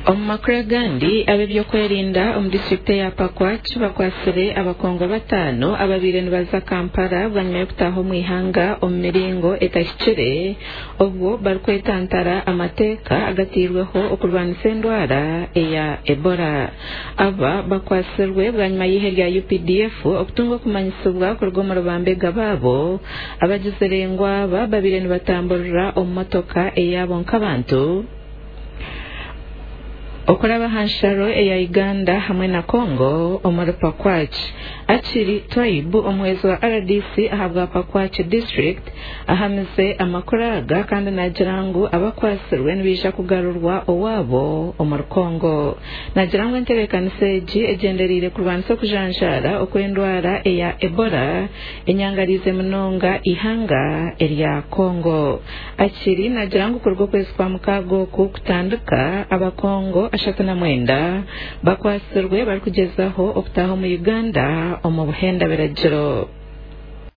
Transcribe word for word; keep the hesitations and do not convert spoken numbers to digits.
Omu makuru agandi, ab'ebyokwerinda omu disiturikiti eya Pakwach bakwatsire abakongo bataano ababaire nibaza Kampala bwanyima y'okutaaha omu ihanga omu miringo etahikire, obwo barikwetantara amateeka agateirweho okurwanisa endwara eya Ebola. Aba bakwatsirwe bwanyima y'eihe rya U P D F okutunga okumanyisibwa kuruga omu rubambega baabo abagizire ngu aba babaire nibatamburira omu motoka eyaabo nk'abantu okuraba aha nsharo eya Uganda hamwe na Congo omuri Pakwach. Akiri Twaibu, omuhwezi wa R D C ahabwa Pakwach District, ahamize amakuru aga kandi nagira ngu abakwatsirwe nibaija kugarurwa owaabo omuri Congo. Nagira ngu entebeekanisa egi egyendereire kurwanisa okujanjaara okw'endwara eya Ebola enyangarize munonga ihanga erya Congo. Akiri nagira ngu kuruga okwezi kwa mukaaga oku kutandika, abakongo ashatu na mwenda bakwatsirwe barikugyezaho okutaaha omu Uganda omu buhenda biragiro.